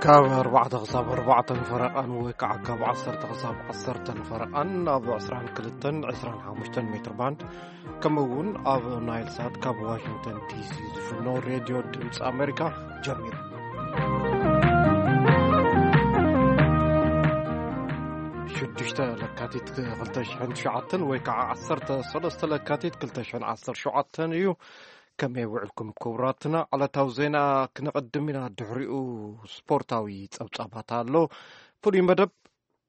ካብ ኣርባዕተ ክሳብ ኣርባዕተን ፈረቓን ወይ ከዓ ካብ ዓሰርተ ክሳብ ዓሰርተን ፈረቓን ኣብ ዕስራን ክልተን ዕስራን ሓሙሽተን ሜትር ባንድ፣ ከምኡ እውን ኣብ ናይል ሳት ካብ ዋሽንግተን ዲሲ ዝፍኖ ሬድዮ ድምፂ ኣሜሪካ ጀሚሩ። ሽዱሽተ ለካቲት ክልተ ሽሕን ትሽዓተን ወይ ከዓ ዓሰርተ ሰለስተ ለካቲት ክልተ ሽሕን ዓሰርተ ሸውዓተን እዩ። ከመይ ውዕልኩም ክቡራትና? ዕለታዊ ዜና ክነቐድም ኢና፣ ድሕሪኡ ስፖርታዊ ጸብጻባት ኣሎ። ፍሉይ መደብ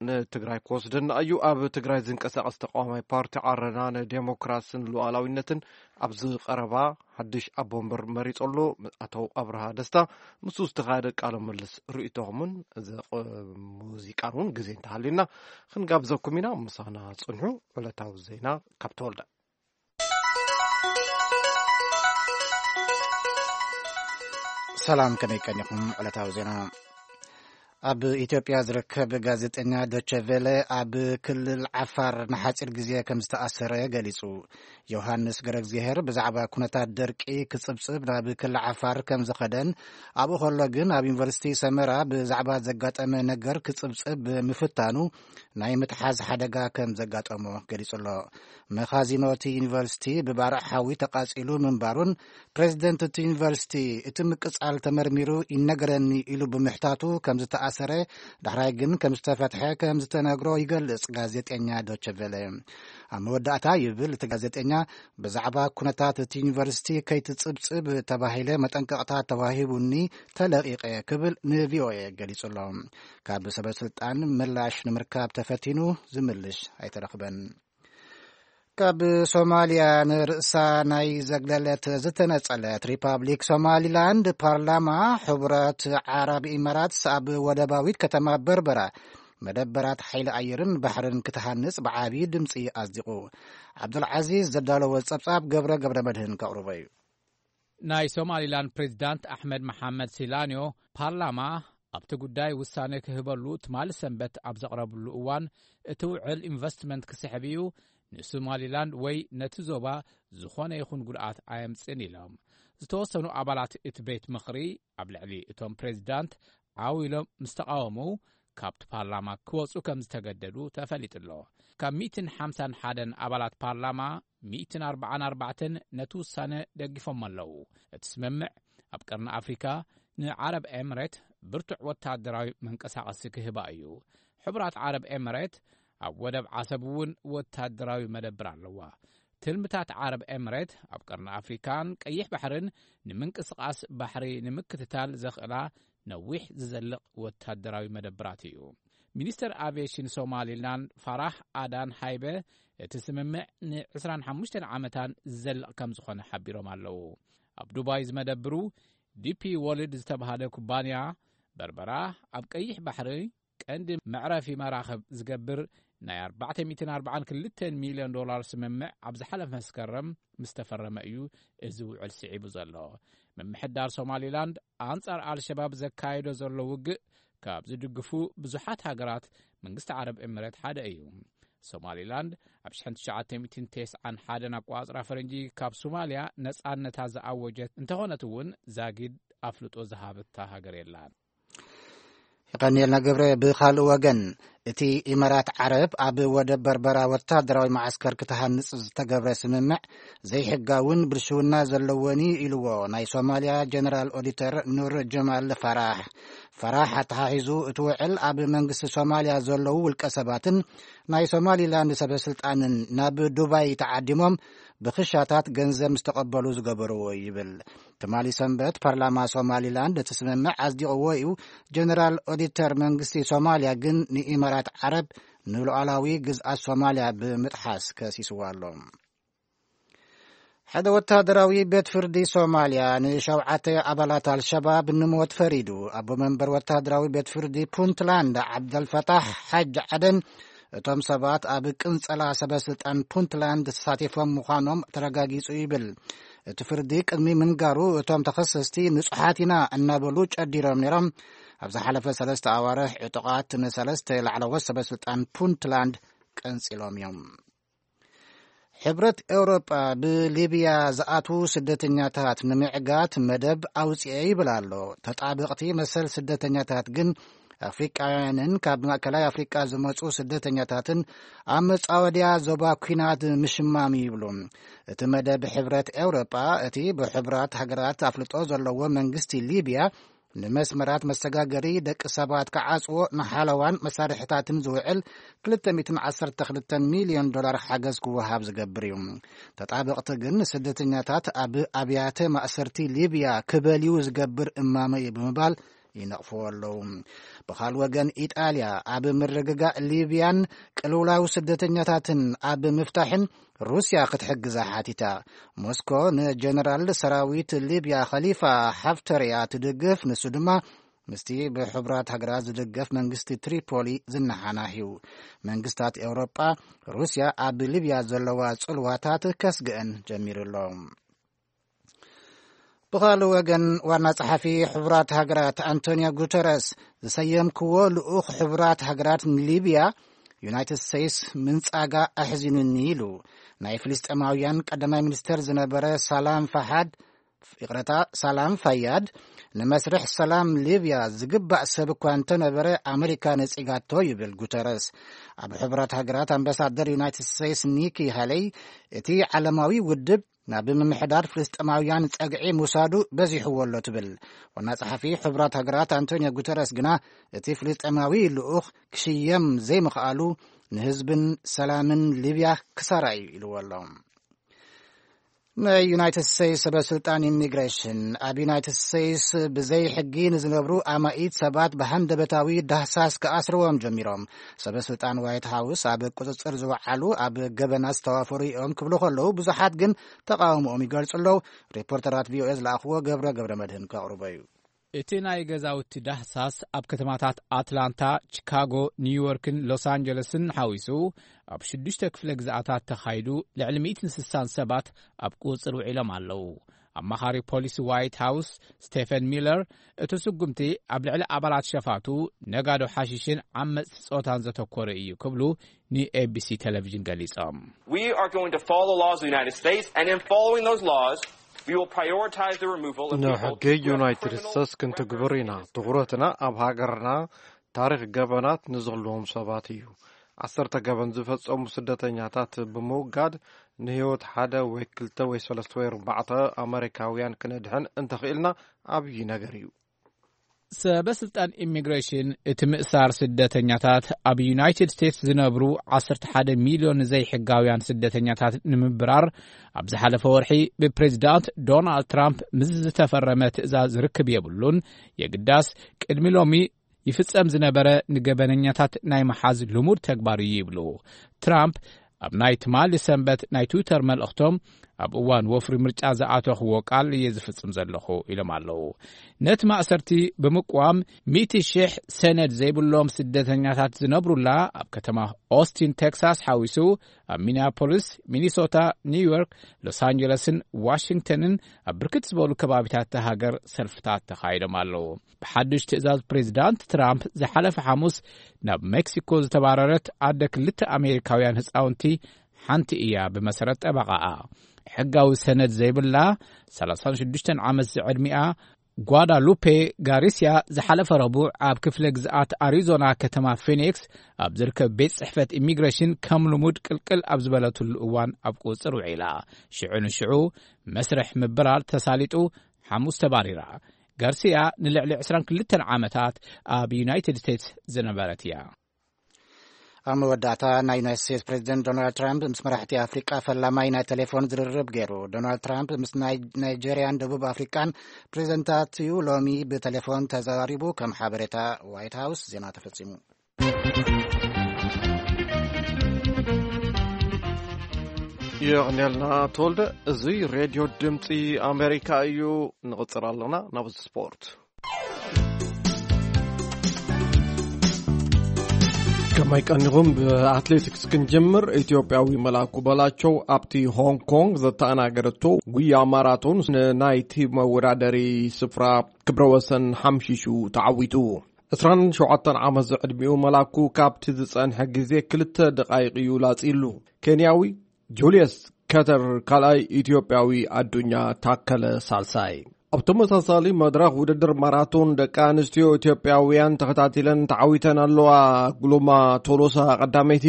ንትግራይ ክወስደና እዩ። ኣብ ትግራይ ዝንቀሳቐስ ተቃዋማይ ፓርቲ ዓረና ንዴሞክራስን ሉዓላዊነትን ኣብዚ ቀረባ ሓድሽ ኣቦ ወንበር መሪጹ ኣሎ። ኣቶ ኣብርሃ ደስታ፣ ምስኡ ዝተኻየደ ቃለ ምልልስ ርእይቶኹምን እዚ ቕ-፣ ሙዚቃን እውን ግዜ እንተሃልዩና ክንጋብዘኩም ኢና። ምሳና ጽንሑ። ዕለታዊ ዜና ካብ ተወልደ። ሰላም፣ ከመይ ቀኒኹም? ዕለታዊ ዜና። ኣብ ኢትዮጵያ ዝርከብ ጋዜጠኛ ዶቸ ቬለ ኣብ ክልል ዓፋር ንሓጺር ግዜ ከም ዝተኣሰረ ገሊጹ። ዮሃንስ ገረግዚሄር ብዛዕባ ኩነታት ደርቂ ክጽብጽብ ናብ ክልል ዓፋር ከም ዝኸደን፣ ኣብኡ ከሎ ግን ኣብ ዩኒቨርሲቲ ሰመራ ብዛዕባ ዘጋጠመ ነገር ክጽብጽብ ብምፍታኑ ናይ ምትሓዝ ሓደጋ ከም ዘጋጠሞ ገሊጹ ኣሎ። መኻዚኖ እቲ ዩኒቨርሲቲ ብባርዕ ሓዊ ተቃጺሉ ምንባሩን፣ ፕሬዚደንት እቲ ዩኒቨርሲቲ እቲ ምቅጻል ተመርሚሩ ይነገረኒ ኢሉ ብምሕታቱ ከም ዝተኣሰረ፣ ዳሕራይ ግን ከም ዝተፈትሐ ከም ዝተነግሮ ይገልጽ ጋዜጠኛ ዶቸ ቬለ። ኣብ መወዳእታ ይብል እቲ ጋዜጠኛ፣ ብዛዕባ ኩነታት እቲ ዩኒቨርሲቲ ከይትጽብጽብ ተባሂለ መጠንቀቕታ ተዋሂቡኒ ተለቒቐ ክብል ንቪኦኤ ገሊጹ ኣሎ። ካብ ሰበ ስልጣን ምላሽ ንምርካብ ተፈቲኑ ዝምልሽ ኣይተረኽበን። ካብ ሶማልያ ንርእሳ ናይ ዘግለለት ዝተነጸለት ሪፓብሊክ ሶማሊላንድ ፓርላማ ሕቡራት ዓረብ ኢማራትስ ኣብ ወደባዊት ከተማ በርበራ መደበራት ሓይሊ ኣየርን ባሕርን ክትሃንጽ ብዓቢ ድምጺ ኣጽዲቑ። ዓብዱልዓዚዝ ዘዳለዎ ጸብጻብ ገብረ ገብረ መድህን ከቕርቦ እዩ። ናይ ሶማሊላንድ ፕሬዚዳንት ኣሕመድ መሓመድ ሲላንዮ ፓርላማ ኣብቲ ጉዳይ ውሳነ ክህበሉ ትማሊ ሰንበት ኣብ ዘቕረብሉ እዋን፣ እቲ ውዕል ኢንቨስትመንት ክስሕብ እዩ፣ ንሶማሊላንድ ወይ ነቲ ዞባ ዝኾነ ይኹን ጉድኣት ኣየምጽእን ኢሎም። ዝተወሰኑ ኣባላት እቲ ቤት ምኽሪ ኣብ ልዕሊ እቶም ፕሬዚዳንት ዓው ኢሎም ምስ ተቓወሙ፣ ካብቲ ፓርላማ ክወጹ ከም ዝተገደዱ ተፈሊጡ ኣሎ። ካብ ሚእትን ሓምሳን ሓደን ኣባላት ፓርላማ፣ ሚእትን ኣርባዓን ኣርባዕተን ነቲ ውሳነ ደጊፎም ኣለዉ። እቲ ስምምዕ ኣብ ቀርኒ ኣፍሪካ ንዓረብ ኤምሬት ብርቱዕ ወታደራዊ መንቀሳቐሲ ክህባ እዩ። ሕቡራት ዓረብ ኤምሬት ኣብ ወደብ ዓሰብ እውን ወታደራዊ መደብር ኣለዋ። ትልምታት ዓረብ ኤምሬት ኣብ ቀርኒ ኣፍሪካን ቀይሕ ባሕርን ንምንቅስቓስ ባሕሪ ንምክትታል ዘኽእላ ነዊሕ ዝዘልቕ ወታደራዊ መደብራት እዩ። ሚኒስተር ኣቪዬሽን ሶማሊላንድ ፋራህ ኣዳን ሃይበ፣ እቲ ስምምዕ ን ዕስራን ሓሙሽተን ዓመታን ዝዘልቕ ከም ዝኾነ ሓቢሮም ኣለዉ። ኣብ ዱባይ ዝመደብሩ ዲፒ ወርልድ ዝተባህለ ኩባንያ፣ በርበራ ኣብ ቀይሕ ባሕሪ ቀንዲ መዕረፊ መራኽብ ዝገብር ናይ ኣርባዕተ ሚእትን ኣርባዓን ክልተን ሚልዮን ዶላር ስምምዕ ኣብ ዝሓለፈ መስከረም ምስ ተፈረመ እዩ እዚ ውዕል ስዒቡ ዘሎ። ምምሕዳር ሶማሊላንድ ኣንጻር ኣልሸባብ ዘካየዶ ዘሎ ውግእ ካብ ዝድግፉ ብዙሓት ሃገራት መንግስቲ ዓረብ ኤምሬት ሓደ እዩ። ሶማሊላንድ ኣብ ሽሕን ትሽዓተ ሚእትን ተስዓን ሓደን ኣቆጻጽራ ፈረንጂ ካብ ሶማልያ ነጻነታ ዝኣወጀት እንተኾነት እውን፣ ዛጊድ ኣፍልጦ ዝሃበታ ሃገር የላን። የቐንየልና ገብረ። ብኻልእ ወገን፣ እቲ ኢማራት ዓረብ ኣብ ወደብ በርበራ ወታደራዊ መዓስከር ክትሃንጽ ዝተገብረ ስምምዕ ዘይሕጋውን ብልሽውና ዘለዎን እዩ ኢልዎ ናይ ሶማልያ ጀነራል ኦዲተር ኑር ጀማል ፋራሕ። ፋራሕ ኣተሓሒዙ፣ እቲ ውዕል ኣብ መንግስቲ ሶማልያ ዘለዉ ውልቀ ሰባትን ናይ ሶማሊላንድ ሰበ ስልጣንን ናብ ዱባይ ተዓዲሞም ብኽሻታት ገንዘብ ምስ ተቐበሉ ዝገበርዎ ይብል። ትማሊ ሰንበት ፓርላማ ሶማሊላንድ እቲ ስምምዕ ኣጽዲቕዎ እዩ። ጀነራል ኦዲተር መንግስቲ ሶማልያ ግን ንኢማራት ዓረብ ንሉዓላዊ ግዝኣት ሶማልያ ብምጥሓስ ከሲስዋ ኣሎ። ሓደ ወታደራዊ ቤት ፍርዲ ሶማልያ ንሸውዓተ ኣባላት ኣልሸባብ ንሞት ፈሪዱ። ኣቦ መንበር ወታደራዊ ቤት ፍርዲ ፑንትላንድ ዓብደልፈታሕ ሓጅ ዓደን፣ እቶም ሰባት ኣብ ቅንጸላ ሰበ ስልጣን ፑንትላንድ ተሳቲፎም ምዃኖም ተረጋጊጹ ይብል። እቲ ፍርዲ ቅድሚ ምንጋሩ፣ እቶም ተኸሰስቲ ንጹሓት ኢና እናበሉ ጨዲሮም ነይሮም። ኣብ ዝሓለፈ ሰለስተ ኣዋርሕ፣ ዕጡቓት ንሰለስተ ላዕለዎት ሰበ ስልጣን ፑንትላንድ ቀንጺሎም እዮም። ሕብረት ኤውሮጳ ብሊብያ ዝኣትዉ ስደተኛታት ንምዕጋት መደብ ኣውጽኤ ይብል ኣሎ። ተጣበቕቲ መሰል ስደተኛታት ግን ኣፍሪቃውያንን ካብ ማእከላይ ኣፍሪቃ ዝመጹ ስደተኛታትን ኣብ መጻወድያ ዞባ ኲናት ምሽማም ይብሉ። እቲ መደብ ሕብረት ኤውሮጳ፣ እቲ ብሕቡራት ሃገራት ኣፍልጦ ዘለዎ መንግስቲ ሊብያ ንመስመራት መሰጋገሪ ደቂ ሰባት ክዓጽዎ ንሓለዋን መሳርሕታትን ዝውዕል ክልተ ሚእትን ዓሰርተ ክልተን ሚልዮን ዶላር ሓገዝ ክወሃብ ዝገብር እዩ። ተጣበቕቲ ግን ስደተኛታት ኣብ ኣብያተ ማእሰርቲ ሊብያ ክበልዩ ዝገብር እማመ እዩ ብምባል ይነቕፍዎ ኣለዉ። ብኻልእ ወገን፣ ኢጣልያ ኣብ ምርግጋእ ሊብያን ቅልውላው ስደተኛታትን ኣብ ምፍታሕን ሩስያ ክትሕግዛ ሓቲታ። ሞስኮ ንጀነራል ሰራዊት ሊብያ ኸሊፋ ሓፍተር እያ ትድግፍ፣ ንሱ ድማ ምስቲ ብሕቡራት ሃገራት ዝድገፍ መንግስቲ ትሪፖሊ ዝነሓናሕዩ። መንግስታት ኤውሮጳ ሩስያ ኣብ ሊብያ ዘለዋ ጽልዋታት ከስግአን ጀሚሩ ኣሎ። ብኻልእ ወገን፣ ዋና ጸሓፊ ሕቡራት ሃገራት ኣንቶኒዮ ጉተረስ፣ ዝሰየምክዎ ልኡኽ ሕቡራት ሃገራት ንሊብያ ዩናይትድ ስቴትስ ምንጻጋ ኣሕዚኑኒ ኢሉ። ናይ ፍልስጤማውያን ቀዳማይ ሚኒስተር ዝነበረ ሳላም ፋሓድ፣ ይቕረታ፣ ሳላም ፋያድ፣ ንመስርሕ ሰላም ሊብያ ዝግባእ ሰብ እኳ እንተነበረ፣ ኣመሪካ ነጺጋቶ ይብል ጉተረስ። ኣብ ሕቡራት ሃገራት ኣምባሳደር ዩናይትድ ስቴትስ ኒኪ ሃለይ፣ እቲ ዓለማዊ ውድብ ናብ ምምሕዳር ፍልስጤማውያን ጸግዒ ምውሳዱ በዚሕዎ ኣሎ ትብል። ዋና ጸሓፊ ሕቡራት ሃገራት ኣንቶኒዮ ጉተረስ ግና፣ እቲ ፍልስጤማዊ ልኡኽ ክሽየም ዘይምኽኣሉ ንህዝብን ሰላምን ሊብያ ክሳራ እዩ ኢልዎ ኣሎ። ናይ ዩናይትድ ስቴትስ ሰበ ስልጣን ኢሚግሬሽን፣ ኣብ ዩናይትድ ስቴትስ ብዘይ ሕጊ ንዝነብሩ ኣማኢት ሰባት ብሃንደበታዊ ዳህሳስ ክኣስርዎም ጀሚሮም። ሰበ ስልጣን ዋይት ሃውስ፣ ኣብ ቁጽጽር ዝወዓሉ ኣብ ገበናት ዝተዋፈሩ እዮም ክብሉ ከለዉ፣ ብዙሓት ግን ተቃውሞኦም ይገልጹ ኣለዉ። ሪፖርተራት ቪኦኤ ዝለኣኽዎ ገብረ ገብረ መድህን ከቕርቦ እዩ። እቲ ናይ ገዛውቲ ዳህሳስ ኣብ ከተማታት ኣትላንታ፣ ቺካጎ፣ ኒውዮርክን ሎስ ኣንጀለስን ሓዊሱ፣ ኣብ ሽዱሽተ ክፍለ ግዝኣታት ተኻይዱ፣ ልዕሊ ሚእትን ስሳን ሰባት ኣብ ቁጽር ውዒሎም ኣለዉ። ኣማኻሪ ፖሊሲ ዋይት ሃውስ ስቴፈን ሚለር፣ እቲ ስጉምቲ ኣብ ልዕሊ ኣባላት ሸፋቱ፣ ነጋዶ ሓሺሽን ዓመጽቲ ጾታን ዘተኮረ እዩ ክብሉ ንኤቢሲ ቴሌቪዥን ገሊጾም። We are going to follow the laws of the United States, and in following those laws, we will prioritize the removal of people ንሕጊ who have ዩናይትድ criminal ስቴትስ ክንትግብር ኢና። ትኹረትና ኣብ ሃገርና ታሪኽ ገበናት ንዘለዎም ሰባት እዩ። ዓሰርተ ገበን ዝፈጸሙ ስደተኛታት ብምውጋድ፣ ንህይወት ሓደ ወይ ክልተ ወይ ሰለስተ ወይ ኣርባዕተ ኣመሪካውያን ክነድሕን እንተኽኢልና፣ ዓብዪ ነገር እዩ። ሰበ ስልጣን ኢሚግሬሽን፣ እቲ ምእሳር ስደተኛታት፣ ኣብ ዩናይትድ ስቴትስ ዝነብሩ ዓሰርተ ሓደ ሚልዮን ዘይሕጋውያን ስደተኛታት ንምብራር፣ ኣብ ዝሓለፈ ወርሒ ብፕሬዚዳንት ዶናልድ ትራምፕ ምስ ዝተፈረመ ትእዛዝ ርክብ የብሉን። የግዳስ፣ ቅድሚ ሎሚ ይፍጸም ዝነበረ ንገበነኛታት ናይ ምሓዝ ልሙድ ተግባር እዩ ይብሉ። ትራምፕ ኣብ ናይ ትማሊ ሰንበት ናይ ትዊተር መልእኽቶም፣ ኣብ እዋን ወፍሪ ምርጫ ዝኣተኽዎ ቃል እየ ዝፍጽም ዘለኹ ኢሎም ኣለዉ። ነቲ ማእሰርቲ ብምቅዋም፣ ሚእቲ ሽሕ ሰነድ ዘይብሎም ስደተኛታት ዝነብሩላ ኣብ ከተማ ኦስቲን ቴክሳስ ሓዊሱ፣ ኣብ ሚኒያፖሊስ፣ ሚኒሶታ፣ ኒውዮርክ፣ ሎስ ኣንጀለስን ዋሽንግተንን ኣብ ብርክት ዝበሉ ከባቢታት እታ ሃገር ሰልፍታት ተኻይዶም ኣለዉ። ብሓድሽ ትእዛዝ ፕሬዚዳንት ትራምፕ፣ ዝሓለፈ ሓሙስ ናብ ሜክሲኮ ዝተባረረት ኣደ ክልተ ኣሜሪካውያን ህፃውንቲ ሓንቲ እያ፣ ብመሰረት ጠበቓኣ። ሕጋዊ ሰነድ ዘይብላ፣ ሰላሳን ሽዱሽተን ዓመት ዝዕድሚኣ ጓዳሉፔ ጋሪሲያ፣ ዝሓለፈ ረቡዕ ኣብ ክፍለ ግዝኣት ኣሪዞና ከተማ ፊኒክስ ኣብ ዝርከብ ቤት ጽሕፈት ኢሚግሬሽን፣ ከም ልሙድ ቅልቅል ኣብ ዝበለትሉ እዋን ኣብ ቁጽጽር ውዒላ። ሽዑ ንሽዑ መስርሕ ምብራር ተሳሊጡ፣ ሓሙስ ተባሪራ። ጋርሲያ ንልዕሊ ዕስራን ክልተን ዓመታት ኣብ ዩናይትድ ስቴትስ ዝነበረት እያ። ኣብ መወዳእታ፣ ናይ ዩናይትድ ስቴትስ ፕሬዚደንት ዶናልድ ትራምፕ ምስ መራሕቲ ኣፍሪቃ ፈላማይ ናይ ቴሌፎን ዝርርብ ገይሩ። ዶናልድ ትራምፕ ምስ ናይ ናይጄርያን ደቡብ ኣፍሪቃን ፕሬዚደንታት እዩ ሎሚ ብቴሌፎን ተዘራሪቡ። ከም ሓበሬታ ዋይት ሃውስ፣ ዜና ተፈጺሙ። የቕንየልና ተወልደ። እዚ ሬድዮ ድምፂ ኣሜሪካ እዩ። ንቕፅል ኣለና ናብ ስፖርት። ከመይ ቀኒኹም? ብኣትሌቲክስ ክንጀምር። ኢትዮጵያዊ መላኩ በላቸው ኣብቲ ሆንግ ኮንግ ዘተኣናገደቶ ጉያ ማራቶን ናይቲ መወዳደሪ ስፍራ ክብረ ወሰን ሓምሺሹ ተዓዊቱ። ዕስራን ሸውዓተን ዓመት ዝዕድሚኡ መላኩ ካብቲ ዝጸንሐ ግዜ ክልተ ደቓይቕ እዩ ላጺሉ። ኬንያዊ ጁልየስ ከተር ካልኣይ፣ ኢትዮጵያዊ ኣዱኛ ታከለ ሳልሳይ። ኣብ ተመሳሳሊ መድረኽ ውድድር ማራቶን ደቂ ኣንስትዮ ኢትዮጵያውያን ተኸታቲለን ተዓዊተን ኣለዋ። ግሉማ ቶሎሳ ቀዳመይቲ፣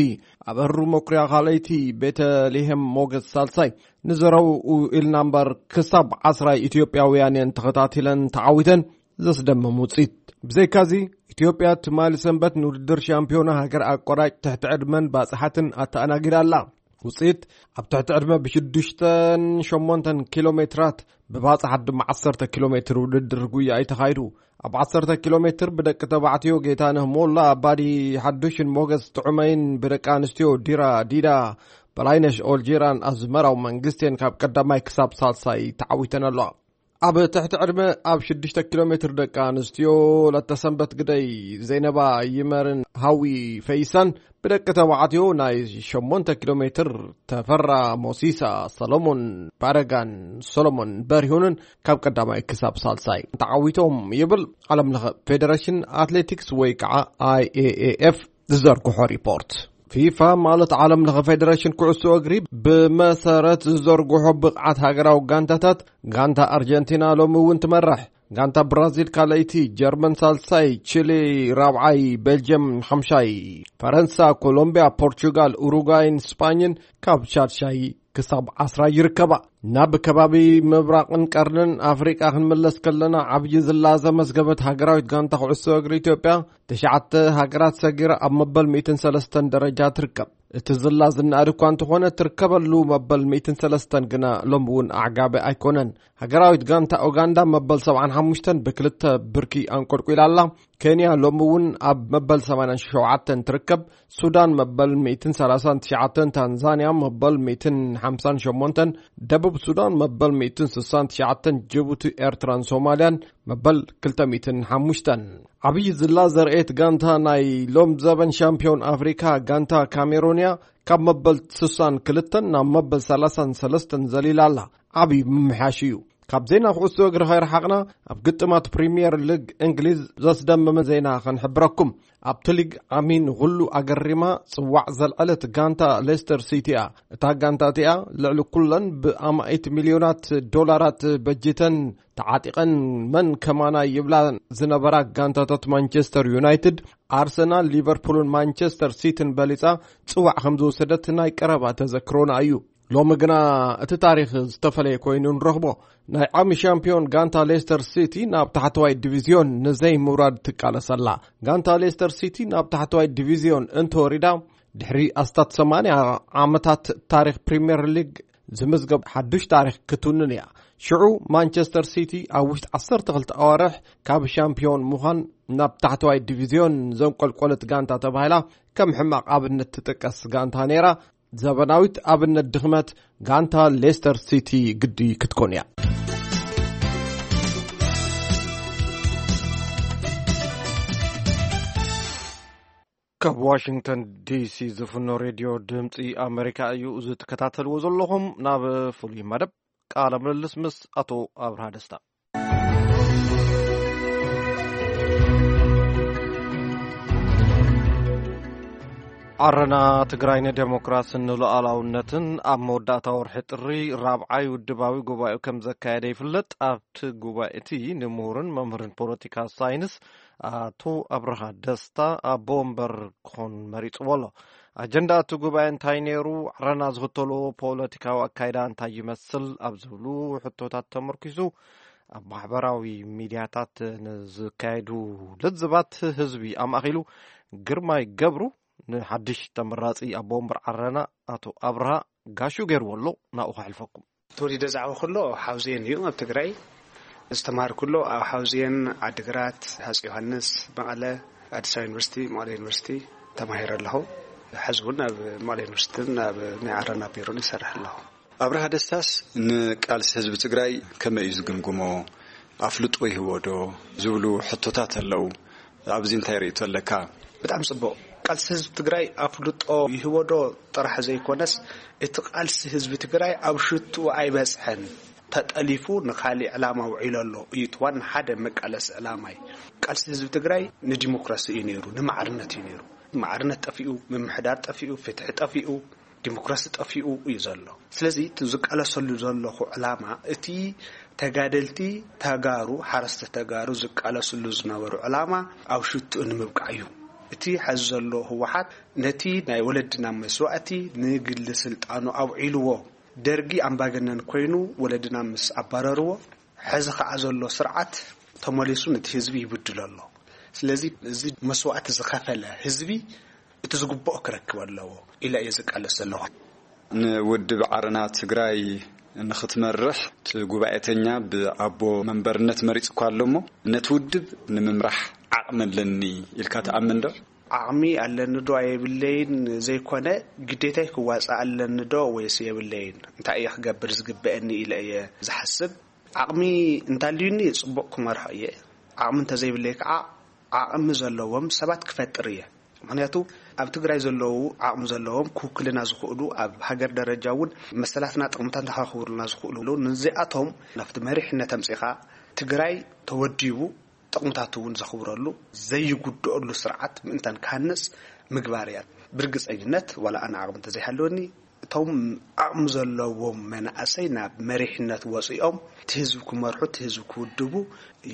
ኣበሩ መኩርያ ካልኣይቲ፣ ቤተልሔም ሞገስ ሳልሳይ፣ ንዘረው ኢልና እምበር ክሳብ ዓስራ ኢትዮጵያውያን እየን ተኸታቲለን ተዓዊተን። ዘስደምም ውፅኢት። ብዘይካዚ፣ ኢትዮጵያ ትማሊ ሰንበት ንውድድር ሻምፒዮና ሃገር ኣቋራጭ ትሕቲ ዕድመን ባፅሓትን ኣተኣናጊዳ ኣላ። ውፅኢት፣ ኣብ ትሕቲ ዕድመ ብሽዱሽተን ሸሞንተን ኪሎ ሜትራት፣ ብባፅሓት ድማ ዓሰርተ ኪሎ ሜትር ውድድር ጉያ እዩ ተኻይዱ። ኣብ ዓሰርተ ኪሎ ሜትር ብደቂ ተባዕትዮ ጌታነህ ሞላ፣ ኣባዲ ሓዱሽን ሞገስ ጥዑመይን፣ ብደቂ ኣንስትዮ ዲራ ዲዳ፣ በላይነሽ ኦልጂራን ኣዝመራው መንግስቴን ካብ ቀዳማይ ክሳብ ሳልሳይ ተዓዊተን ኣለዋ። ኣብ ትሕቲ ዕድመ ኣብ ሽዱሽተ ኪሎ ሜትር ደቂ ኣንስትዮ ለተሰንበት ግደይ፣ ዘይነባ ይመርን ሃዊ ፈይሳን፣ ብደቂ ተባዕትዮ ናይ ሸሞንተ ኪሎ ሜትር ተፈራ ሞሲሳ፣ ሰሎሞን ባረጋን ሰሎሞን በሪሁንን ካብ ቀዳማይ ክሳብ ሳልሳይ ተዓዊቶም ይብል ዓለም ለኸ ፌደሬሽን ኣትሌቲክስ ወይ ከዓ ኣይ ኤ ኤ ኤፍ ዝዘርግሖ ሪፖርት። ፊፋ ማለት ዓለም ለኸ ፌደሬሽን ኩዕሶ እግሪ ብመሰረት ዝዘርግሖ ብቕዓት ሃገራዊ ጋንታታት፣ ጋንታ ኣርጀንቲና ሎሚ እውን ትመርሕ። ጋንታ ብራዚል ካልኣይቲ፣ ጀርመን ሳልሳይ፣ ቺሊ ራብዓይ፣ ቤልጅየም ሓምሻይ፣ ፈረንሳ፣ ኮሎምቢያ፣ ፖርቹጋል፣ ኡሩጓይን ስጳኝን ካብ ሻድሻይ ክሳብ ዓስራ ይርከባ። ናብ ከባቢ ምብራቕን ቀርንን ኣፍሪቃ ክንምለስ ከለና፣ ዓብዪ ዝላ ዘመዝገበት ሃገራዊት ጋንታ ኩዕሶ እግሪ ኢትዮጵያ፣ ትሽዓተ ሃገራት ሰጊራ ኣብ መበል ሚእትን ሰለስተን ደረጃ ትርከብ። እቲ ዝላ ዝነኣድ እኳ እንተኾነ፣ ትርከበሉ መበል ሚእትን ሰለስተን ግና ሎሚ እውን ኣዕጋቢ ኣይኮነን። ሃገራዊት ጋንታ ኡጋንዳ መበል ሰብዓን ሓሙሽተን ብክልተ ብርኪ ኣንቆልቁላ ኣላ። ኬንያ ሎሚ እውን ኣብ መበል ሰማንያን ሸውዓተን ትርከብ። ሱዳን መበል ሚእትን ሰላሳን ትሽዓተን፣ ታንዛንያ መበል ሚእትን ሓምሳን ሸሞንተን፣ ደቡብ ሱዳን መበል ሚእትን ስሳን ትሽዓተን፣ ጅቡቲ፣ ኤርትራን ሶማልያን መበል ክልተ ሚእትን ሓሙሽተን። ዓብዪ ዝላ ዘርእየት ጋንታ ናይ ሎም ዘበን ሻምፒዮን ኣፍሪካ ጋንታ ካሜሩንያ ካብ መበል ስሳን ክልተን ናብ መበል ሰላሳን ሰለስተን ዘሊላ ኣላ። ዓብዪ ምምሕያሽ እዩ። ካብ ዜና ኩዕሶ እግሪ ከይረሓቕና፣ ኣብ ግጥማት ፕሪምየር ሊግ እንግሊዝ ዘስደመመ ዜና ከንሕብረኩም። ኣብቲ ሊግ ዓሚ ንኹሉ ኣገሪማ ጽዋዕ ዘልዐለት ጋንታ ሌስተር ሲቲ እያ። እታ ጋንታ እቲኣ ልዕሊ ኩለን ብኣማኢት ሚልዮናት ዶላራት በጅተን ተዓጢቐን መን ከማና ይብላ ዝነበራ ጋንታታት ማንቸስተር ዩናይትድ፣ ኣርሰናል፣ ሊቨርፑልን ማንቸስተር ሲቲን በሊጻ ጽዋዕ ከም ዝወሰደት ናይ ቀረባ ተዘክሮና እዩ። ሎሚ ግና እቲ ታሪኽ ዝተፈለየ ኮይኑ ንረኽቦ። ናይ ዓሚ ሻምፒዮን ጋንታ ሌስተር ሲቲ ናብ ታሕተዋይ ዲቪዝዮን ንዘይምውራድ ትቃለስ ኣላ። ጋንታ ሌስተር ሲቲ ናብ ታሕተዋይ ዲቪዝዮን እንተወሪዳ፣ ድሕሪ ኣስታት ሰማንያ ዓመታት ታሪኽ ፕሪምየር ሊግ ዝምዝገብ ሓዱሽ ታሪኽ ክትውንን እያ። ሽዑ ማንቸስተር ሲቲ ኣብ ውሽጢ ዓሰርተ ክልተ ኣዋርሕ ካብ ሻምፒዮን ምዃን ናብ ታሕተዋይ ዲቪዝዮን ዘንቆልቆለት ጋንታ ተባሂላ ከም ሕማቕ ኣብነት ትጥቀስ ጋንታ ነይራ። ዘበናዊት ኣብነት ድኽመት ጋንታ ሌስተር ሲቲ ግዲ ክትኮን እያ። ካብ ዋሽንግተን ዲሲ ዝፍኖ ሬድዮ ድምፂ ኣመሪካ እዩ። እዚ ትከታተልዎ ዘለኹም ናብ ፍሉይ መደብ ቃለ ምልልስ ምስ ኣቶ ኣብርሃ ደስታ። ዓረና ትግራይ ንዴሞክራስን ንሉዓላውነትን ኣብ መወዳእታ ወርሒ ጥሪ ራብዓይ ውድባዊ ጉባኤኡ ከም ዘካየደ ይፍለጥ። ኣብቲ ጉባኤ እቲ ንምሁርን መምህርን ፖለቲካ ሳይንስ ኣቶ ኣብርሃ ደስታ ኣቦ ወንበር ክኾን መሪፅዎ ኣሎ። ኣጀንዳ እቲ ጉባኤ እንታይ ነይሩ? ዓረና ዝኽተልዎ ፖለቲካዊ ኣካይዳ እንታይ ይመስል? ኣብ ዝብሉ ሕቶታት ተመርኪሱ ኣብ ማሕበራዊ ሚድያታት ንዝካየዱ ልዝባት ህዝቢ ኣማእኪሉ ግርማይ ገብሩ ንሓድሽ ተመራጺ ኣቦ ወንበር ዓረና ኣቶ ኣብርሃ ጋሹ ገይርዎ ኣሎ። ናብኡ ከሕልፈኩም። ተወሊደ ዝዓበኹ ከሎ ሓውዜን እዩ ኣብ ትግራይ። ዝተማሃርኩ ከሎ ኣብ ሓውዜን፣ ዓዲግራት፣ ሃፂ ዮሃንስ፣ መቐለ፣ ኣዲስ ኣበባ ዩኒቨርሲቲ፣ መቐለ ዩኒቨርሲቲ ተማሂረ ኣለኹ። ሕዚ እውን ኣብ መቐለ ዩኒቨርሲቲን ኣብ ናይ ዓረና ቢሮን ይሰርሕ ኣለኹ። ኣብርሃ ደስታስ ንቃልሲ ህዝቢ ትግራይ ከመይ እዩ ዝግምግሞ? ኣፍልጦ ይህቦ ዶ? ዝብሉ ሕቶታት ኣለዉ። ኣብዚ እንታይ ርእይቶ ኣለካ? ብጣዕሚ ጽቡቕ። ቃልሲ ህዝቢ ትግራይ ኣፍልጦ ይህቦ ዶ ጥራሕ ዘይኮነስ፣ እቲ ቃልሲ ህዝቢ ትግራይ ኣብ ሽትኡ ኣይበጽሐን። ተጠሊፉ ንኻሊእ ዕላማ ውዒሉ ኣሎ እዩ። እቲ ዋና ሓደ መቃለሲ ዕላማይ። ቃልሲ ህዝቢ ትግራይ ንዲሞክራሲ እዩ ነይሩ፣ ንማዕርነት እዩ ነይሩ። ማዕርነት ጠፊኡ፣ ምምሕዳር ጠፊኡ፣ ፍትሒ ጠፊኡ፣ ዲሞክራሲ ጠፊኡ እዩ ዘሎ። ስለዚ እቲ ዝቃለሰሉ ዘለኹ ዕላማ፣ እቲ ተጋደልቲ ተጋሩ፣ ሓረስተ ተጋሩ ዝቃለስሉ ዝነበሩ ዕላማ ኣብ ሽትኡ ንምብቃዕ እዩ። እቲ ሐዚ ዘሎ ህወሓት ነቲ ናይ ወለድና መስዋእቲ ንግሊ ስልጣኑ ኣውዒልዎ። ደርጊ ኣምባገነን ኮይኑ ወለድና ምስ ኣባረርዎ፣ ሐዚ ከዓ ዘሎ ስርዓት ተመሊሱ ነቲ ህዝቢ ይብድሎ ኣሎ። ስለዚ እዚ መስዋእቲ ዝኸፈለ ህዝቢ እቲ ዝግብኦ ክረክብ ኣለዎ ኢለ እየ ዝቃለስ ዘለኹ። ንውድብ ዓረና ትግራይ ንኽትመርሕ እቲ ጉባኤተኛ ብኣቦ መንበርነት መሪፁ እኳ ኣሎ እሞ፣ ነቲ ውድብ ንምምራሕ ዓቕሚ ኣለኒ ኢልካ ትኣምን ዶ? ዓቕሚ ኣለኒ ዶ ኣየብለይን ዘይኮነ፣ ግዴታይ ክዋፃእ ኣለኒ ዶ ወይስ የብለይን፣ እንታይ እየ ክገብር ዝግበአኒ ኢለ እየ ዝሓስብ። ዓቕሚ እንተልዩኒ ፅቡቕ ክመርሖ እየ። ዓቕሚ እንተዘይብለይ ከዓ ዓቕሚ ዘለዎም ሰባት ክፈጥር እየ። ምኽንያቱ ኣብ ትግራይ ዘለዉ ዓቕሚ ዘለዎም ክውክልና ዝኽእሉ፣ ኣብ ሃገር ደረጃ እውን መሰላትና ጥቕምታት ንኸኽብሩልና ዝኽእሉ፣ ንዚኣቶም ናብቲ መሪሕነት ኣምፂኻ ትግራይ ተወዲቡ ጥቕምታቱ እውን ዘኽብረሉ፣ ዘይጉድኣሉ ስርዓት ምእንታን ክሃንፅ ምግባር እያ። ብርግፀኝነት ዋላ ኣነ ዓቕሚ እንተዘይሃለወኒ፣ እቶም ዓቕሚ ዘለዎም መናእሰይ ናብ መሪሕነት ወፂኦም እቲ ህዝቢ ክመርሑ፣ እቲ ህዝቢ ክውድቡ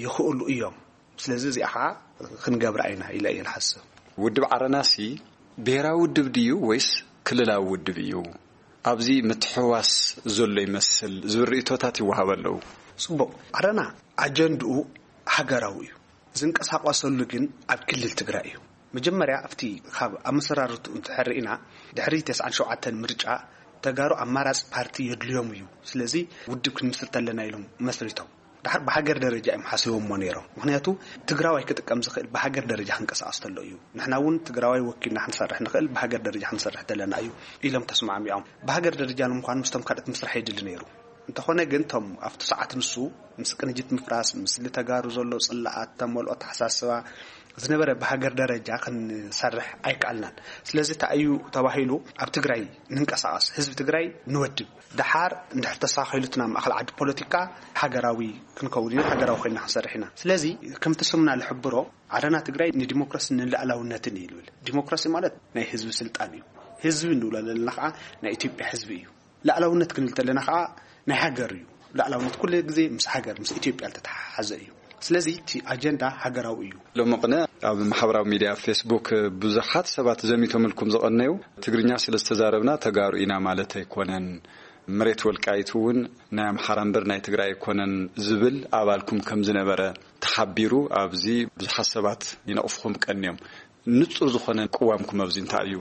ይኽእሉ እዮም። ስለዚ እዚኣ ከዓ ክንገብራ ኢና ኢለ እየ ዝሓስብ። ውድብ ዓረናሲ ብሄራዊ ውድብ ድዩ ወይስ ክልላዊ ውድብ እዩ? ኣብዚ ምትሕውዋስ ዘሎ ይመስል ዝብል ርእይቶታት ይወሃብ ኣለዉ። ፅቡቕ። ዓረና ኣጀንድኡ ሃገራዊ እዩ። ዝንቀሳቐሰሉ ግን ኣብ ክልል ትግራይ እዩ። መጀመርያ ኣብቲ ካብ ኣመሰራርትኡ እንተሕርኢና፣ ድሕሪ ተስዓን ሸውዓተን ምርጫ ተጋሩ ኣማራፂ ፓርቲ የድልዮም እዩ። ስለዚ ውድብ ክንምስርት ኣለና ኢሎም መስሪቶም። ድሓር ብሃገር ደረጃ እዮም ሓሲቦሞ ነይሮም። ምኽንያቱ ትግራዋይ ክጥቀም ዝኽእል ብሃገር ደረጃ ክንቀሳቐስ ተሎ እዩ። ንሕና እውን ትግራዋይ ወኪልና ክንሰርሕ ንኽእል ብሃገር ደረጃ ክንሰርሕ ተለና እዩ ኢሎም ተስማዕሚዖም። ብሃገር ደረጃ ንምዃኑ ምስቶም ካልኦት ምስራሕ የድሊ ነይሩ። እንተኾነ ግን እቶም ኣብቲ ሰዓት ንሱ ምስ ቅንጅት ምፍራስ፣ ምስ ልተጋሩ ዘሎ ጽላኣት፣ ተመልኦ ኣተሓሳስባ ዝነበረ ብሃገር ደረጃ ክንሰርሕ ኣይከኣልናን። ስለዚ እንታይ እዩ ተባሂሉ? ኣብ ትግራይ ንንቀሳቐስ፣ ህዝቢ ትግራይ ንወድብ። ደሓር እንድሕር ተሳኺሉ እቲ ናብ ማእኸል ዓዲ ፖለቲካ ሃገራዊ ክንከውን ኢና፣ ሃገራዊ ኮይና ክንሰርሕ ኢና። ስለዚ ከምቲ ስምና ዝሕብሮ ዓረና ትግራይ ንዲሞክራሲ ንልኣላውነትን እዩ ዝብል። ዲሞክራሲ ማለት ናይ ህዝቢ ስልጣን እዩ። ህዝቢ እንብሎ ዘለና ከዓ ናይ ኢትዮጵያ ህዝቢ እዩ። ላዕላውነት ክንብል ተለና ከዓ ናይ ሃገር እዩ። ላዕላውነት ኩሉ ግዜ ምስ ሃገር፣ ምስ ኢትዮጵያ ዝተተሓሓዘ እዩ። ስለዚ እቲ ኣጀንዳ ሃገራዊ እዩ። ሎሚ ቅነ ኣብ ማሕበራዊ ሚድያ ፌስቡክ ብዙሓት ሰባት ዘሚቶምልኩም ዝቐነዩ፣ ትግርኛ ስለ ዝተዛረብና ተጋሩ ኢና ማለት ኣይኮነን፣ መሬት ወልቃይት እውን ናይ ኣምሓራ እምበር ናይ ትግራይ ኣይኮነን ዝብል ኣባልኩም ከም ዝነበረ ተሓቢሩ፣ ኣብዚ ብዙሓት ሰባት ይነቕፍኹም ቀንዮም። ንጹር ዝኾነ ቅዋምኩም ኣብዚ እንታይ እዩ?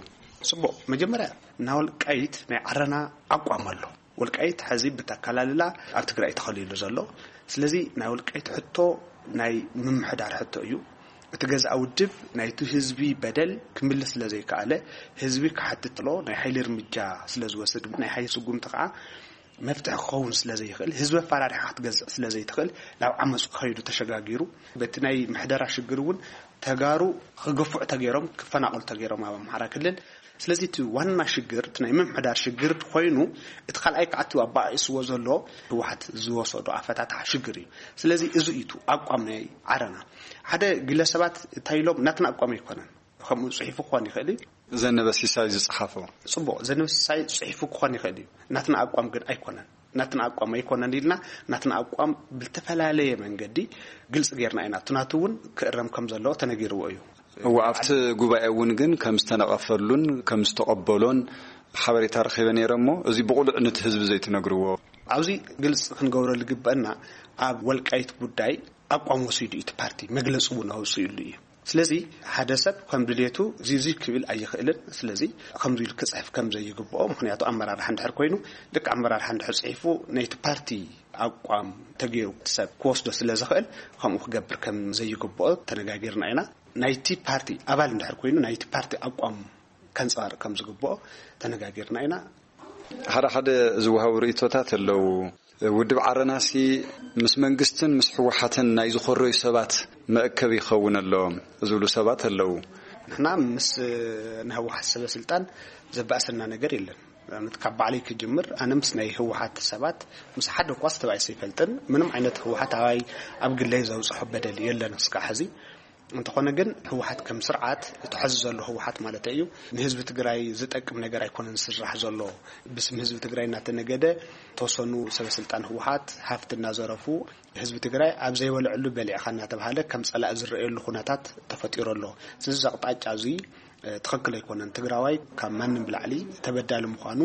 ጽቡቕ። መጀመርያ ናይ ወልቃይት ናይ ዓረና ኣቋም ኣሎ። ወልቃይት ሕዚ ብተካላልላ ኣብ ትግራይ ተኸሊሉ ዘሎ። ስለዚ ናይ ወልቃይት ሕቶ ናይ ምምሕዳር ሕቶ እዩ። እቲ ገዛእ ውድብ ናይቲ ህዝቢ በደል ክምልስ ስለ ዘይከኣለ፣ ህዝቢ ክሓትት ጥሎ ናይ ሓይሊ እርምጃ ስለ ዝወስድ፣ ናይ ሓይሊ ስጉምቲ ከዓ መፍትሒ ክኸውን ስለ ዘይኽእል፣ ህዝቢ ኣፈራሪሓ ክትገዝእ ስለ ዘይትኽእል፣ ናብ ዓመፅ ክኸይዱ ተሸጋጊሩ። በቲ ናይ ምሕደራ ሽግር እውን ተጋሩ ክግፍዑ ተገይሮም፣ ክፈናቐሉ ተገይሮም ኣብ ኣምሓራ ክልል። ስለዚ እቲ ዋና ሽግር፣ እቲ ናይ ምምሕዳር ሽግር ኮይኑ፣ እቲ ካልኣይ ከዓ እቲ ኣባኣኢስዎ ዘሎ ህወሓት ዝወሰዶ ኣፈታትሓ ሽግር እዩ። ስለዚ እዚ እዩ እቲ ኣቋም ናይ ዓረና። ሓደ ግለሰባት እንታይ ኢሎም፣ ናትና ኣቋም ኣይኮነን። ከምኡ ጽሒፉ ክኾን ይኽእል እዩ። ዘነበ ሲሳይ ዝጸሓፎ። ጽቡቕ፣ ዘነበ ሲሳይ ጽሒፉ ክኾን ይኽእል እዩ። ናትና ኣቋም ግን ኣይኮነን። ናትና ኣቋም ኣይኮነን ኢልና፣ ናትና ኣቋም ብዝተፈላለየ መንገዲ ግልጺ ጌርና ኢና። እቲ ናቱ እውን ክእረም ከም ዘለዎ ተነጊርዎ እዩ። እወ፣ ኣብቲ ጉባኤ እውን ግን ከም ዝተነቐፈሉን ከም ዝተቐበሎን ሓበሬታ ረኺበ ነይረ እሞ፣ እዚ ብቕሉዕ ነቲ ህዝቢ ዘይትነግርዎ? ኣብዚ ግልጺ ክንገብረሉ ዝግበአና፣ ኣብ ወልቃይት ጉዳይ ኣቋም ወሲዱ እዩ እቲ ፓርቲ፣ መግለጺ እውን ኣውፂኡሉ እዩ። ስለዚ ሓደ ሰብ ከም ድሌቱ እዚ እዚ ክብል ኣይኽእልን። ስለዚ ከምዚ ኢሉ ክፅሕፍ ከም ዘይግብኦ፣ ምኽንያቱ ኣመራርሓ እንድሕር ኮይኑ፣ ልክዕ ኣመራርሓ እንድሕር ፅሒፉ፣ ናይቲ ፓርቲ ኣቋም ተገይሩ እቲ ሰብ ክወስዶ ስለ ዝኽእል፣ ከምኡ ክገብር ከም ዘይግብኦ ተነጋጊርና ኢና። ናይቲ ፓርቲ ኣባል እንድሕር ኮይኑ፣ ናይቲ ፓርቲ ኣቋም ከንፀባርቕ ከም ዝግብኦ ተነጋጊርና ኢና። ሓደ ሓደ ዝወሃቡ ርእይቶታት ኣለዉ። ውድብ ዓረናሲ ምስ መንግስትን ምስ ህወሓትን ናይ ዝኾረዩ ሰባት መእከቢ ይኸውን ኣሎ ዝብሉ ሰባት ኣለዉ። ንሕና ምስ ናይ ህወሓት ሰበ ስልጣን ዘባእሰና ነገር የለን። ንኣብነት ካብ ባዕለይ ክጅምር፣ ኣነ ምስ ናይ ህወሓት ሰባት ምስ ሓደ እኳ ዝተባእሰ ኣይፈልጥን። ምንም ዓይነት ህወሓታዋይ ኣብ ግለይ ዘብፅሖ በደል የለን እስካዕ ሕዚ። እንተኾነ ግን ህወሓት ከም ስርዓት፣ እቲ ሕዚ ዘሎ ህወሓት ማለት እዩ፣ ንህዝቢ ትግራይ ዝጠቅም ነገር ኣይኮነን ዝስራሕ ዘሎ። ብስም ህዝቢ ትግራይ እናተነገደ ተወሰኑ ሰበስልጣን ህወሓት ሃፍቲ እናዘረፉ፣ ህዝቢ ትግራይ ኣብ ዘይበልዐሉ በሊዕኻ እናተባሃለ ከም ጸላኢ ዝረኣየሉ ኩነታት ተፈጢሩ ኣሎ። ስለዚ እዚ ኣቕጣጫ እዚ ትኽክል ኣይኮነን። ትግራዋይ ካብ ማንም ብላዕሊ ተበዳሊ ምዃኑ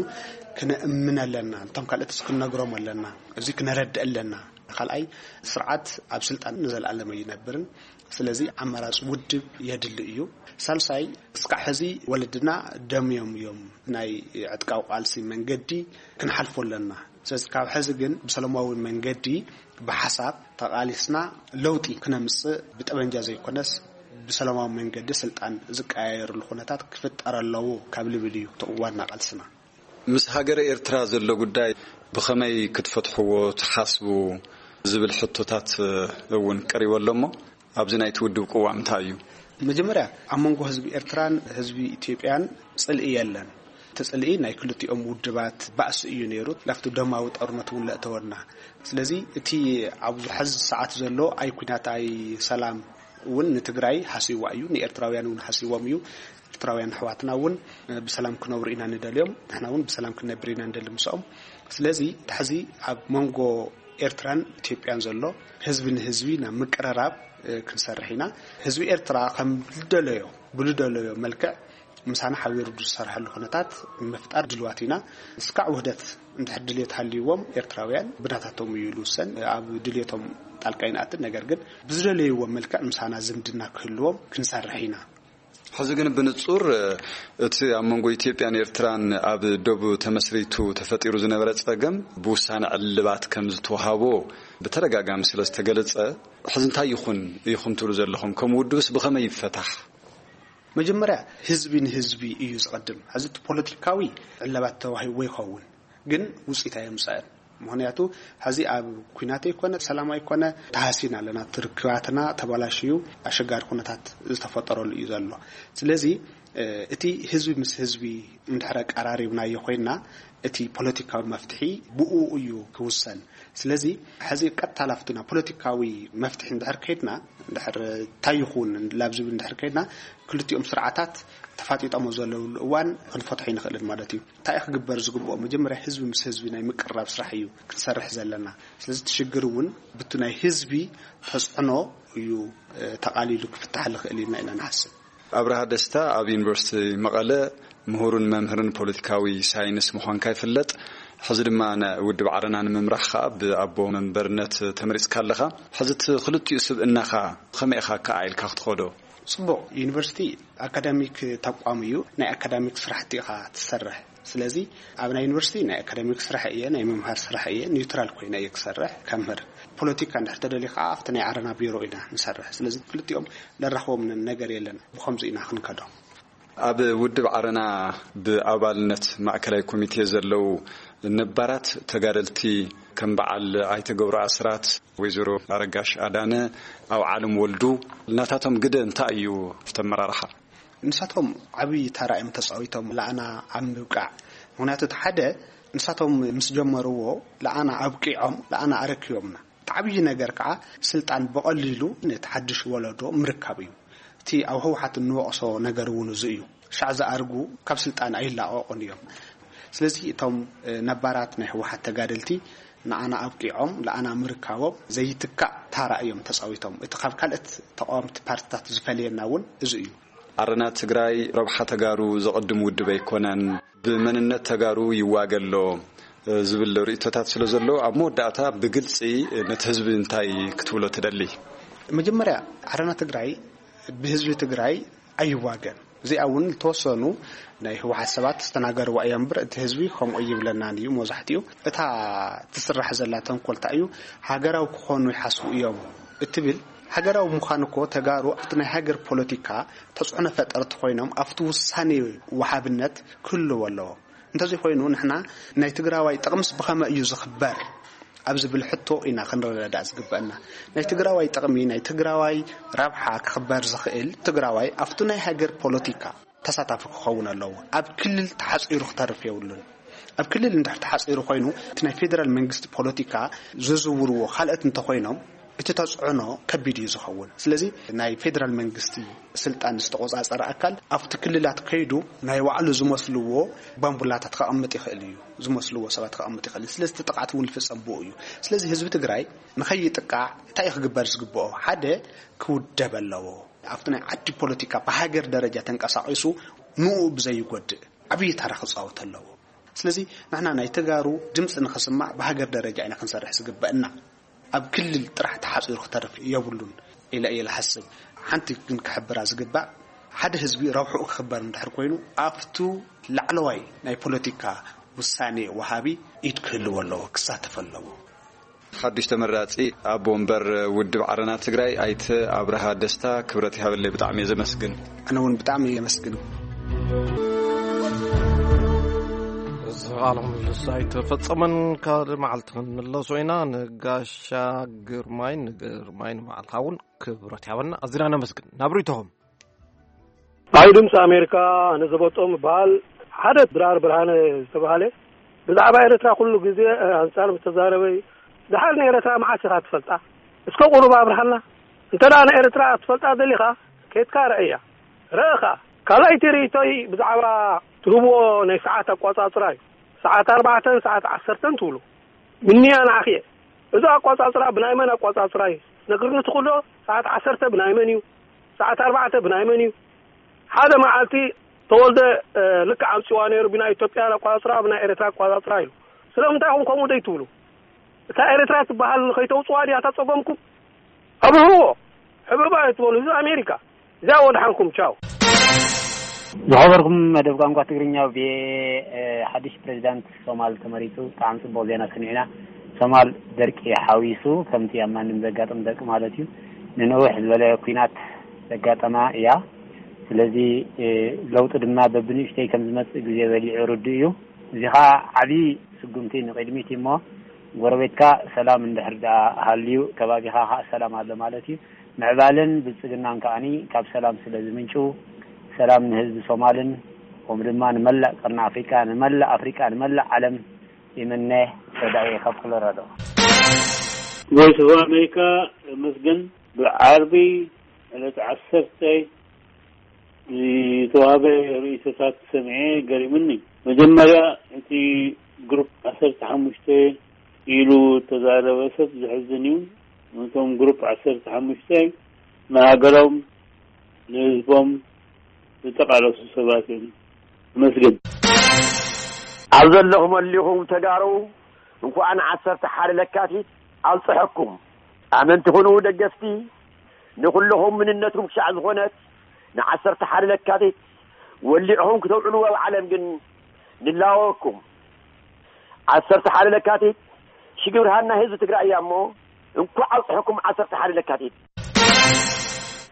ክነእምን ኣለና። እቶም ካልኦት ክንነግሮም ኣለና። እዚ ክነረድእ ኣለና። ካልኣይ፣ ስርዓት ኣብ ስልጣን ንዘለኣለም ኣይነብርን። ስለዚ ኣማራፂ ውድብ የድሊ እዩ። ሳልሳይ፣ እስካዕ ሕዚ ወለድና ደምዮም እዮም ናይ ዕጥቃዊ ቃልሲ መንገዲ ክንሓልፎ ኣለና። ስለዚ ካብ ሕዚ ግን ብሰላማዊ መንገዲ ብሓሳብ ተቓሊስና ለውጢ ክነምፅእ፣ ብጠበንጃ ዘይኮነስ ብሰላማዊ መንገዲ ስልጣን ዝቀያየርሉ ኩነታት ክፍጠር ኣለዎ ካብ ልብል እዩ እቲ ዋና ቃልስና። ምስ ሃገረ ኤርትራ ዘሎ ጉዳይ ብኸመይ ክትፈትሕዎ ትሓስቡ ዝብል ሕቶታት እውን ቀሪቡ ኣሎ እሞ፣ ኣብዚ ናይቲ ውድብ ቅዋም እንታይ እዩ? መጀመርያ፣ ኣብ መንጎ ህዝቢ ኤርትራን ህዝቢ ኢትዮጵያን ጽልኢ የለን። እቲ ጽልኢ ናይ ክልቲኦም ውድባት ባእሲ እዩ ነይሩ። ናብቲ ደማዊ ጦርነት እውን ለእተወና። ስለዚ እቲ ኣብዚ ሐዚ ሰዓት ዘሎ ኣይ ኲናት ኣይ ሰላም እውን ንትግራይ ሃስይዋ እዩ፣ ንኤርትራውያን እውን ሃስይዎም እዩ። ኤርትራውያን ኣሕዋትና እውን ብሰላም ክነብሩ ኢና ንደልዮም፣ ንሕና እውን ብሰላም ክንነብር ኢና ንደሊ ምስኦም። ስለዚ እቲ ሕዚ ኣብ መንጎ ኤርትራን ኢትዮጵያን ዘሎ ህዝቢ ንህዝቢ ናብ ምቅርራብ ክንሰርሕ ኢና። ህዝቢ ኤርትራ ከም ዝደለዮ፣ ብዝደለዮ መልክዕ ምሳና ሓቢሩ ዝሰርሐሉ ኩነታት ንምፍጣር ድልዋት ኢና። እስካዕ ውህደት እንድሕር ድልየት ሃልይዎም ኤርትራውያን ብናታቶም እዩ ዝውሰን። ኣብ ድልየቶም ጣልቃ ይንኣትን፣ ነገር ግን ብዝደለይዎ መልክዕ ምሳና ዝምድና ክህልዎም ክንሰርሕ ኢና። ሕዚ ግን ብንጹር እቲ ኣብ መንጎ ኢትዮጵያን ኤርትራን ኣብ ዶብ ተመስሪቱ ተፈጢሩ ዝነበረ ጸገም ብውሳነ ዕልባት ከም ዝተዋሃቦ ብተደጋጋሚ ስለ ዝተገለጸ፣ ሕዚ እንታይ ይኹን ኢኹም ትብሉ ዘለኹም? ከም ውድብስ ብኸመይ ይፈታሕ? መጀመርያ ህዝቢ ንህዝቢ እዩ ዝቐድም። ሕዚ እቲ ፖለቲካዊ ዕልባት ተዋሂብዎ ይኸውን፣ ግን ውፅኢት ኣየምፀአን። ምኽንያቱ ሕዚ ኣብ ኲናት ኣይኮነ፣ ሰላም ኣይኮነ፣ ተሃሲና ኣለና። እቲ ርክባትና ተበላሽዩ፣ ኣሸጋሪ ኩነታት ዝተፈጠረሉ እዩ ዘሎ። ስለዚ እቲ ህዝቢ ምስ ህዝቢ እንድሕር ኣቀራሪብናዮ ኮይንና፣ እቲ ፖለቲካዊ መፍትሒ ብኡ እዩ ክውሰን። ስለዚ ሕዚ ቀጥታ ላፍትና ፖለቲካዊ መፍትሒ እንድሕር ከይድና፣ እንድሕር እንታይ ይኹን ላብ ዝብል እንድሕር ከይድና፣ ክልቲኦም ስርዓታት ተፋጢጦሞ ዘለውሉ እዋን ክንፈትሖ ይንኽእልን ማለት እዩ። እንታይ ክግበር ዝግብኦ? መጀመርያ ህዝቢ ምስ ህዝቢ ናይ ምቅርራብ ስራሕ እዩ ክንሰርሕ ዘለና። ስለዚ እቲ ሽግር እውን ብቲ ናይ ህዝቢ ተፅዕኖ እዩ ተቓሊሉ ክፍታሕ ዝኽእል ኢልና ኢና ንሓስብ። ኣብርሃ ደስታ ኣብ ዩኒቨርሲቲ መቐለ ምሁርን መምህርን ፖለቲካዊ ሳይንስ ምዃንካ ይፍለጥ። ሕዚ ድማ ንውድብ ዓረና ንምምራሕ ከኣ ብኣቦ መንበርነት ተመሪጽካ ኣለኻ። ሕዚ እቲ ክልቲኡ ስብእናኻ ከመይ ኢኻ ከኣ ኢልካ ክትኸዶ? ጽቡቕ፣ ዩኒቨርሲቲ ኣካዳሚክ ተቋም እዩ። ናይ ኣካዳሚክ ስራሕቲ ኢኻ ትሰርሕ። ስለዚ ኣብ ናይ ዩኒቨርሲቲ ናይ ኣካዳሚክ ስራሕ እየ፣ ናይ ምምሃር ስራሕ እየ፣ ኒውትራል ኮይነ እየ ክሰርሕ ከምህር። ፖለቲካ እንድሕር ተደልዩ ከዓ ኣብቲ ናይ ዓረና ቢሮ ኢና ንሰርሕ። ስለዚ ክልቲኦም ለራኽቦም ነገር የለን። ብኸምዚ ኢና ክንከዶ። ኣብ ውድብ ዓረና ብኣባልነት ማእከላይ ኮሚቴ ዘለዉ ነባራት ተጋደልቲ ከም በዓል ኣይተ ገብሩ ኣስራት፣ ወይዘሮ ኣረጋሽ ኣዳነ፣ ኣብ ዓለም ወልዱ ናታቶም ግደ እንታይ እዩ ኣብቲ ኣመራርሓ? ንሳቶም ዓብዪ ተራ እዮም ተፃዊቶም ለኣና ኣብ ምብቃዕ። ምኽንያቱ እቲ ሓደ ንሳቶም ምስ ጀመርዎ ለኣና ኣብቂዖም ለኣና ኣረኪቦምና። እቲ ዓብዪ ነገር ከዓ ስልጣን ብቐሊሉ ነቲ ሓድሽ ወለዶ ምርካብ እዩ። እቲ ኣብ ህወሓት እንወቕሶ ነገር እውን እዚ እዩ። ሻዕ ዝኣርጉ ካብ ስልጣን ኣይላቐቑን እዮም። ስለዚ እቶም ነባራት ናይ ህወሓት ተጋደልቲ ንኣና ኣብቂዖም ለኣና ምርካቦም ዘይትካእ ታራ እዮም ተፃዊቶም። እቲ ካብ ካልኦት ተቃወምቲ ፓርትታት ዝፈለየና እውን እዚ እዩ። ዓረና ትግራይ ረብሓ ተጋሩ ዘቐድም ውድብ ኣይኮነን፣ ብመንነት ተጋሩ ይዋገ ኣሎ ዝብል ርእይቶታት ስለ ዘሎ፣ ኣብ መወዳእታ ብግልፂ ነቲ ህዝቢ እንታይ ክትብሎ ትደሊ? መጀመርያ ዓረና ትግራይ ብህዝቢ ትግራይ ኣይዋገን። እዚኣ እውን ዝተወሰኑ ናይ ህወሓት ሰባት ዝተናገርዋ እያ እምበር፣ እቲ ህዝቢ ከምኡ ይብለናን እዩ። መብዛሕትኡ እታ ትስራሕ ዘላ ተንኮል እንታይ እዩ፣ ሃገራዊ ክኾኑ ይሓስቡ እዮም እትብል። ሃገራዊ ምዃን እኮ ተጋሩ ኣብቲ ናይ ሃገር ፖለቲካ ተፅዕኖ ፈጠርቲ ኮይኖም ኣብቲ ውሳኔ ወሃብነት ክህልዎ ኣለዎ። እንተዘይኮይኑ ንሕና ናይ ትግራዋይ ጥቕምስ ብኸመይ እዩ ዝኽበር ኣብ ዝብል ሕቶ ኢና ክንረዳዳእ ዝግበአና። ናይ ትግራዋይ ጥቕሚ፣ ናይ ትግራዋይ ረብሓ ክኽበር ዝኽእል ትግራዋይ ኣብቲ ናይ ሃገር ፖለቲካ ተሳታፊ ክኸውን ኣለዎ። ኣብ ክልል ተሓፂሩ ክተርፍ የብሉን። ኣብ ክልል እንድሕር ተሓፂሩ ኮይኑ እቲ ናይ ፌደራል መንግስቲ ፖለቲካ ዝዝውርዎ ካልኦት እንተኾይኖም እቲ ተፅዕኖ ከቢድ እዩ ዝኸውን። ስለዚ ናይ ፌደራል መንግስቲ ስልጣን ዝተቆፃፀረ ኣካል ኣብቲ ክልላት ከይዱ ናይ ባዕሉ ዝመስልዎ ባምቡላታት ከቐምጥ ይኽእል እዩ፣ ዝመስልዎ ሰባት ከቐምጥ ይኽእል እዩ። ስለዚ እቲ ጥቕዓት እውን ዝፍፀም ብኡ እዩ። ስለዚ ህዝቢ ትግራይ ንኸይጥቃዕ እንታይ እዩ ክግበር ዝግብኦ? ሓደ ክውደብ ኣለዎ። ኣብቲ ናይ ዓዲ ፖለቲካ ብሃገር ደረጃ ተንቀሳቒሱ ንኡ ብዘይጎድእ ዓብዪ ታራ ክፃወት ኣለዎ። ስለዚ ንሕና ናይ ተጋሩ ድምፂ ንኽስማዕ ብሃገር ደረጃ ኢና ክንሰርሕ ዝግበእና። ኣብ ክልል ጥራሕ ተሓፂሩ ክተርፍ የብሉን ኢለ እየ ዝሓስብ። ሓንቲ ግን ክሕብራ ዝግባእ፣ ሓደ ህዝቢ ረብሕኡ ክኽበር እንድሕር ኮይኑ ኣብቱ ላዕለዋይ ናይ ፖለቲካ ውሳኔ ወሃቢ ኢድ ክህልዎ ኣለዎ፣ ክሳተፍ ኣለዎ። ሓዱሽ ተመራጺ ኣቦ ወንበር ውድብ ዓረና ትግራይ ኣይተ ኣብርሃ ደስታ፣ ክብረት ይሃበለይ፣ ብጣዕሚ እየ ዘመስግን። ኣነ እውን ብጣዕሚ እየ የመስግን። እዚ ቃለ ምልልስ ኣይተፈጸመን። ካልእ መዓልቲ ክንምለሶ ኢና። ንጋሻ ግርማይ፣ ንግርማይ ንመዓልታ እውን ክብረት ይሃበልና። ኣዚና ነመስግን። ናብ ርእይቶኹም። ኣብ ድምፂ ኣሜሪካ ኣነ ዘበጦም ይበሃል። ሓደ ድራር ብርሃነ ዝተባሃለ ብዛዕባ ኤርትራ ኩሉ ግዜ ኣንፃር ዝተዛረበ እዩ። ድሓር ንኤርትራ መዓስ ኢኻ ትፈልጣ? እስከ ቁሩብ ኣብርሃልና። እንተ ደኣ ንኤርትራ ትፈልጣ ደሊኻ፣ ኬድካ ረእያ። ረእኻ። ካልኣይቲ ርእይቶይ ብዛዕባ ትህብዎ ናይ ሰዓት ኣቋጻጽራ እዩ። ሰዓት ኣርባዕተን ሰዓት ዓሰርተን ትብሉ። ምንያ ንዓኺ እየ። እዚ ኣቋጻጽራ ብናይ መን ኣቋጻጽራ እዩ? ነግርኒ ትኽእሎ? ሰዓት ዓሰርተ ብናይ መን እዩ? ሰዓት ኣርባዕተ ብናይ መን እዩ? ሓደ መዓልቲ ተወልደ፣ እ፣ ልክዕ ኣምጺዋ ነይሩ። ብናይ ኢትዮጵያ ኣቋጻጽራ፣ ብናይ ኤርትራ ኣቋጻጽራ ኢሉ። ስለምንታይ ኢኹም ከምኡ ደይ ትብሉ? እታ ኤርትራ ትበሃል ከይተውጽዋ ድያ እታ ጸገምኩም? ኣብርህዎ። ሕብርባ ኣይትበሉ። እዚ ኣሜሪካ። እዚኣ ወድሓንኩም። ቻው። ዝኸበርኩም መደብ ቋንቋ ትግርኛ ቪኦኤ፣ ሓድሽ ፕሬዚዳንት ሶማል ተመሪጹ። ብጣዕሚ ጽቡቕ ዜና ስሚዕና። ሶማል ደርቂ ሓዊሱ፣ ከምቲ ኣብ ማንም ዘጋጥም ደርቂ ማለት እዩ፣ ንንውሕ ዝበለ ኲናት ዘጋጠማ እያ። ስለዚ ለውጢ ድማ በብንእሽተይ ከም ዝመጽእ ግዜ በሊዑ ርዱእ እዩ። እዚ ኸኣ ዓቢ ስጉምቲ ንቕድሚት እዩ እሞ፣ ጎረቤትካ ሰላም እንድሕር ደኣ ሃልዩ፣ ከባቢኻ ኸኣ ሰላም ኣሎ ማለት እዩ። ምዕባለን ብልጽግናን ከኣኒ ካብ ሰላም ስለ ዝምንጩ፣ ሰላም ንህዝቢ ሶማልን፣ ከምኡ ድማ ንመላእ ቀርኒ ኣፍሪቃ፣ ንመላእ ኣፍሪቃ፣ ንመላእ ዓለም ይምነ። ሰዳይ ካብ ኮሎራዶ። ቮይስ ኦፍ ኣሜሪካ፣ መስገን ብዓርቢ ዕለት ዓሰርተ ዝተዋህበ ርእይቶታት ሰሚዐ ገሪሙኒ። መጀመርያ እቲ ግሩፕ ዓሰርተ ሓሙሽተ ኢሉ እተዛረበ ሰብ ዘሕዝን እዩ። እቶም ግሩፕ ዓሰርተ ሓሙሽተ ንሃገሮም፣ ንህዝቦም ዝተቓለሱ ሰባት እዮም። ኣመስግን። ኣብ ዘለኹም ኣሊኹም ተጋሩ፣ እንኳዕ ንዓሰርተ ሓደ ለካቲት ኣብፀሐኩም። ኣመንቲ ኩኑ ደገፍቲ፣ ንኹልኹም መንነትኩም ክሻዕ ዝኾነት ንዓሰርተ ሓደ ለካቲት ወሊዕኹም ክተውዕልዎ ኣብ ዓለም ግን ንላወኩም። ዓሰርተ ሓደ ለካቲት ሽግብርሃን ናይ ህዝቢ ትግራይ እያ እሞ፣ እንኳዕ ኣብፀሐኩም ዓሰርተ ሓደ ለካቲት።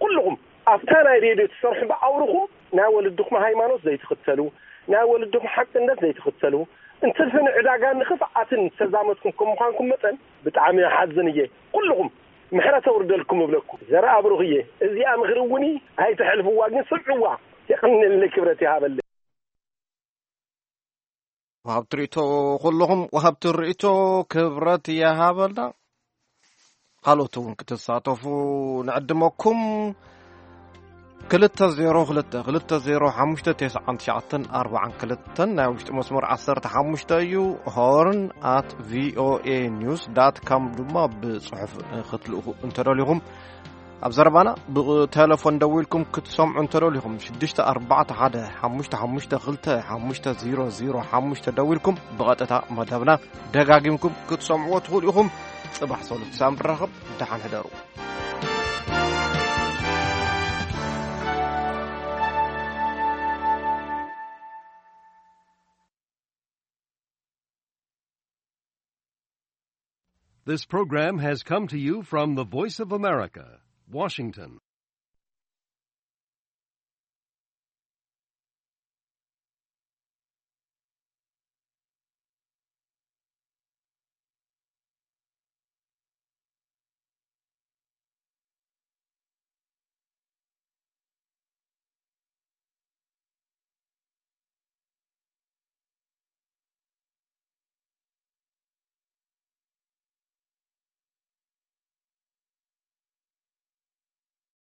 ኩልኹም ኣብታ ናይ ሬድዮ ትሰርሑ ብኣውርኹም ናይ ወለድኹም ሃይማኖት ዘይትኽተሉ፣ ናይ ወለድኹም ሓቅነት ዘይትኽተሉ፣ እንትርፊ ንዕዳጋን ንኽፍኣትን ዝተዛመድኩም ከም ምዃንኩም መጠን ብጣዕሚ እሓዝን እየ። ኩልኹም ምሕረት ኣውርደልኩም እብለኩም። ዘርኣ ብሩኽ እየ። እዚኣ ምኽሪ እውን ኣይትሕልፍዋ፣ ግን ስምዕዋ። የቐንየለይ፣ ክብረት ይሃበለይ። ወሃብቲ ርእይቶ ኩልኹም ወሃብቲ ርእይቶ ክብረት ይሃበልና። ካልኦት እውን ክትሳተፉ ንዕድመኩም። ክልተ ዜሮ ክልተ ክልተ ዜሮ ሓሙሽተ ተስዓን ትሽዓተን ኣርባዓን ክልተን ናይ ውሽጢ መስመር ዓሰርተ ሓሙሽተ እዩ። ሆርን ኣት ቪኦኤ ኒውስ ዳት ካም ድማ ብጽሑፍ ክትልእኹ እንተደሊኹም ኣብ ዘረባና ብቴሌፎን ደዊልኩም ክትሰምዑ እንተደሊኹም ሽዱሽተ ኣርባዕተ ሓደ ሓሙሽተ ሓሙሽተ ክልተ ሓሙሽተ ዜሮ ዜሮ ሓሙሽተ ደዊልኩም ብቐጥታ መደብና ደጋጊምኩም ክትሰምዕዎ ትኽእሉ ኢኹም። ጽባሕ ሰሉስ ሳምሪ ራኸብ ደሓን ሕደሩ። This program has come to you from the Voice of America, Washington.